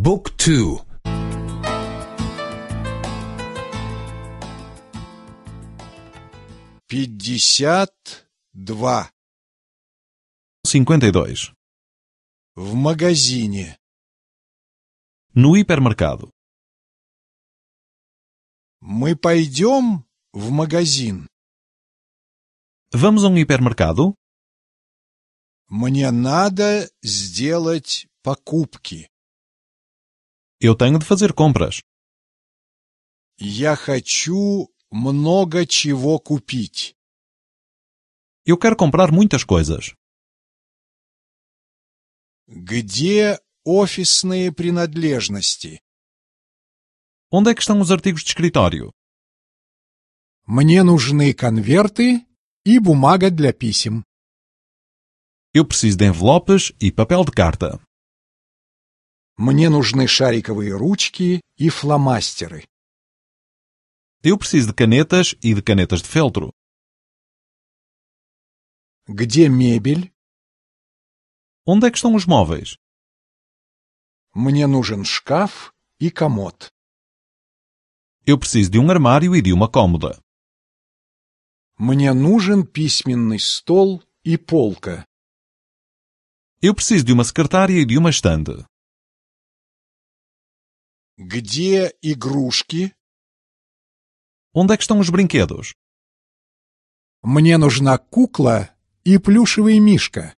บุ๊กทู 52. 52. В магазине. No hipermercado. Мы пойдем в магазин. Vamos a um hipermercado? Мне надо сделать покупки. Eu tenho de fazer compras. Я хочу много чего купить. Eu quero comprar muitas coisas. Где офисные принадлежности? Onde é que estão os artigos de escritório? Мне нужны конверты и бумага для писем. Eu preciso de envelopes e papel de carta. Мне нужны шариковые ручки и фломастеры. Eu preciso de canetas e de canetas de feltro. Где мебель? Onde é que estão os móveis? Мне нужен шкаф и комод. Eu preciso de um armário e de uma cômoda. Мне нужен письменный стол и полка. Eu preciso de uma secretária e de uma estante. Где игрушки? Onde é que estão os brinquedos? Мне нужна кукла и плюшевый мишка.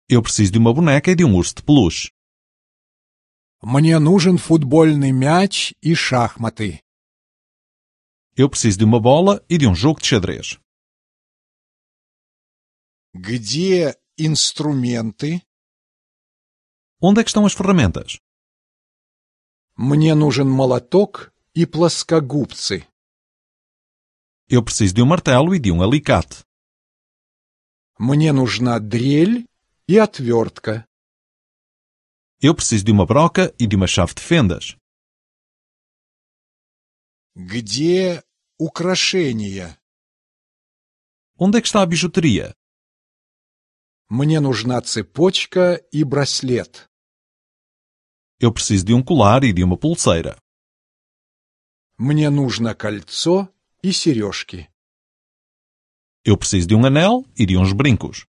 Eu preciso de uma boneca e de um urso de peluche. Мне нужен футбольный мяч и шахматы. Eu preciso de uma bola e de um jogo de xadrez. Где инструменты? Onde é que estão as ferramentas? Мне нужен молоток и плоскогубцы. Eu preciso de um martelo e de um alicate. Мне нужна дрель и отвертка. Eu preciso de uma broca e de uma chave de fendas. Где украшения? Onde é que está a bijuteria? Мне нужна цепочка и браслет. Eu preciso de um colar e de uma pulseira. Мне нужно кольцо и сережки. Eu preciso de um anel e de uns brincos.